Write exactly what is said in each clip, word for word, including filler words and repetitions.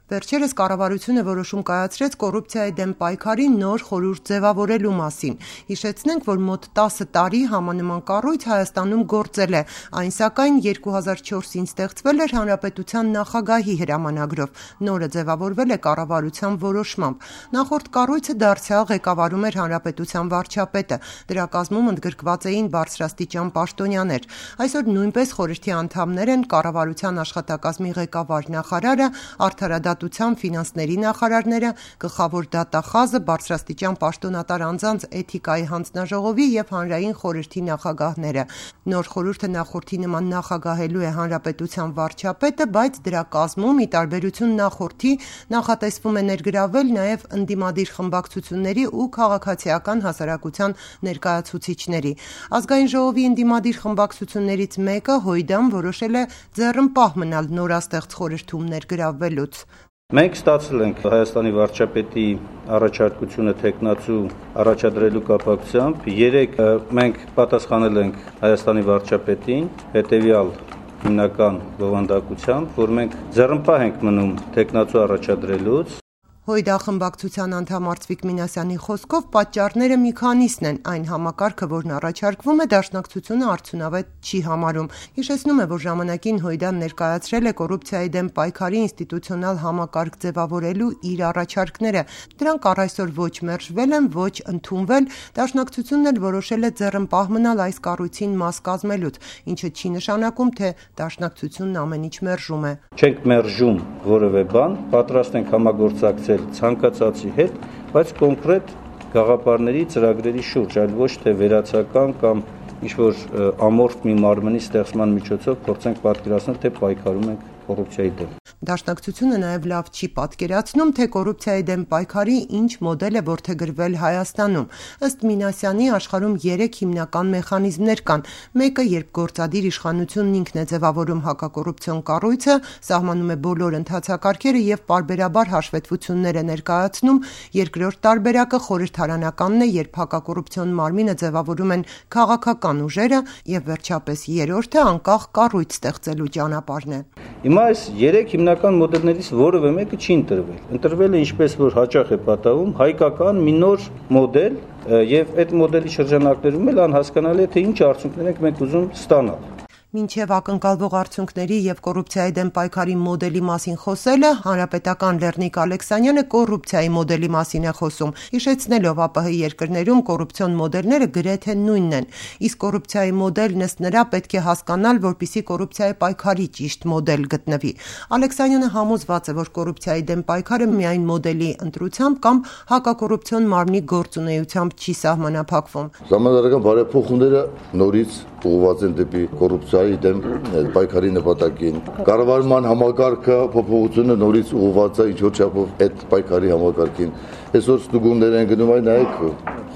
Վերջերս կառավարությունը որոշում կայացրեց կոռուպցիայի դեմ պայքարի նոր խորհուրդ ձևավորելու մասին։ Հիշեցնենք, որ մոտ տասը տարի համանման կառույց Հայաստանում գործել է, այն սակայն երկու հազար չորսին ստեղծվել էր Հանրապետության նախագահի հրամանագրով, նորը ձևավորվել է կառավարության որոշմամբ։ Նախորդ կառույցը դարձյալ ղեկավարում էր Հանրապետության վարչապետը, դրա կազմում ընդգրկված էին բարձրաստիճան պաշտոնյաներ։ Այսօր նույնպես խորհրդի անդամներ են կառավարության աշխատակազմի ղեկավար նախարարը, արդարադատության, ֆինանսների նախարարները, գլխավոր դատախազը, բարձրաստիճան պաշտոնատար անձանց էթիկայի հանձնաժողովի եւ հանրային խորհրդի նախագահները։ Նոր խորհուրդը նախորդի նման նախագահելու է Հանրապետության վարչապետը, բայց դրա կազմում, ի տարբերություն նախորդի, նախատեսվում է ներգրավել նաեւ ընդդիմադիր խմբակցությունների ու քաղաքացիական հասարակության ներկայացուցիչների։ Ազգային ժողովի ընդդիմադիր խմբակցություններից մեկը Հույդան որոշել է ձեռնպահ մնալ նորաստեղծ խորհրդում ներգրավվելուց։ Մենք ստացել ենք Հայաստանի վարչապետի առաջարկությունը թեկնածու առաջադրելու կապակցությամբ։ Երեք մենք պատասխանել ենք Հայաստանի վարչապետին հետևյալ հիմնական բովանդակությամբ, որ մենք ձեռնպահ ենք մնում թեկնածու առաջադրելուց։ Հույդա խմբակցության անդամ Արծվիկ Մինասյանի խոսքով պատճառները մի քանիսն են, այն համակարգը, որն առաջարկվում է, դաշնակցությունը արդյունավետ չի համարում։ Հիշեցնում է, որ ժամանակին Հույդան ներկայացրել է կոռուպցիայի դեմ պայքարի ինստիտուցիոնալ համակարգ ձևավորելու իր առաջարկները։ Դրանք առ այսօր ոչ մերժվել են, ոչ ընդունվել, դաշնակցությունն էլ որոշել է ձեռնպահ մնալ այս կառույցին մաս կազմելուց, ինչը չի նշանակում, թե դաշնակցությունն ամեն ինչ մերժում է։ Չենք մերժում որևէ բան, պատրաստ ենք համագործակցել ցանկացածի հետ, բայց կոնկրետ գաղափարների, ծրագրերի շուրջ, այլ ոչ թե վերացական կամ ինչ-որ ամորֆ մի մարմնի ստեղծման միջոցով փորձենք պատկերացնել, թե պայքարում ենք կոռուպցիայի դեմ։ Դաշնակցությունը նաև լավ չի պատկերացնում, թե կոռուպցիայի դեմ պայքարի ինչ մոդել է որդեգրվել Հայաստանում։ Ըստ Մինասյանի, աշխարհում երեք հիմնական մեխանիզմներ կան։ Մեկը, երբ գործադիր իշխանությունն ինքն է ձևավորում հակակոռուպցիոն կառույցը, սահմանում է բոլոր ընթացակարգերը եւ պարբերաբար հաշվետվություններ է ներկայացնում։ Երկրորդ տարբերակը խորհրդարանականն է, երբ հակակոռուպցիոն մարմինը ձևավորում են քաղաքական ուժերը, եւ վերջապես երրորդը անկախ կառույց ստեղծելու ճանապարհն է։ Հիմա այս երեք հիմնական մոդելներից որևէ մեկը չի ընտրվել։ Ընտրվել է, ինչպես որ հաճախ է պատահում, հայկական մի նոր մոդել, եւ այդ մոդելի շրջանակներում էլ անհասկանալի է, թե ինչ արդյունքներ ենք մենք ուզում ստանալ։ Մինչև ակնկալվող արդյունքների եւ կոռուպցիայի դեմ պայքարի մոդելի մասին խոսելը, հանրապետական Լեռնիկ Ալեքսանյանը կոռուպցիայի մոդելի մասին է խոսում, հիշեցնելով ԱՊՀ երկրներում կոռուպցիոն մոդելները գրեթե նույնն են, իսկ կոռուպցիայի մոդելն ըստ նրա պետք է հասկանալ, որպեսզի կոռուպցիայի պայքարի ճիշտ մոդել գտնվի։ Ալեքսանյանը համոզված է, որ կոռուպցիայի դեմ պայքարը միայն մոդելի ընտրությամբ կամ հակակոռուպցիոն մարմնի գործունեությամբ չի սահմանափակվում։ Ժամանակական բարեփոխումները նորից ուղղված են դեպի կոռուպցիայի դեմ պայքարի նպատակին։ Կառավարման համակարգը փոփոխությունը նորից ուղղված է ինչ-որ չափով այդ պայքարի համակարգին։ Այսօր ստուգումներ են գնում, այն նայեք,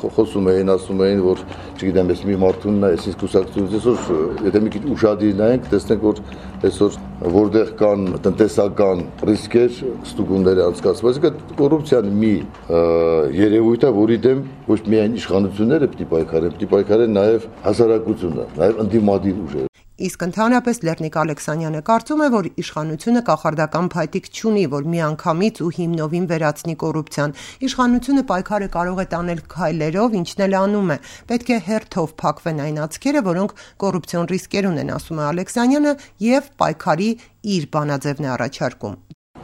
խոսում էին, ասում էին, որ չգիտեմ, ես մի մարդուն այսինքն կուսակցությունից այսօր, եթե մի քիչ ուշադիր նայենք, տեսնենք, որ այսօր որտեղ կան տնտեսական ռիսկեր, ստուգումներ անցկացված, այսինքն կոռուպցիան մի երևույթ է, որի դեմ ոչ միայն իշխանությունները պիտի պայքարեն, պիտի պայքարեն նաև հասարակությունը, նաև ընդդիմադիր ուժերը։ Իսկ ընդհանրապես Լեռնիկ Ալեքսանյանը կարծում է, որ իշխանությունը կախարդական փայտիկ չունի, որ միանգամից ու հիմնովին վերացնի կոռուպցիան։ Իշխանությունը պայքարը կարող է տանել քայլերով, ինչն էլ անում է։ Պետք է հերթով փակվեն այն աչքերը, որոնք կոռուպցիոն ռիսկեր ունեն, ասում է Ալեքսանյանը, եւ պայքարի իր բանաձևն է առաջարկում։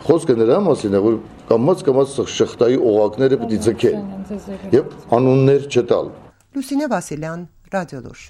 Խոսքը նրա մասին է, որ կամաց կամաց շղթայի օղակները պիտի ձգեն եւ անուններ չտալ։ Լուսինե Վասիլյան, Ռադիոլուր։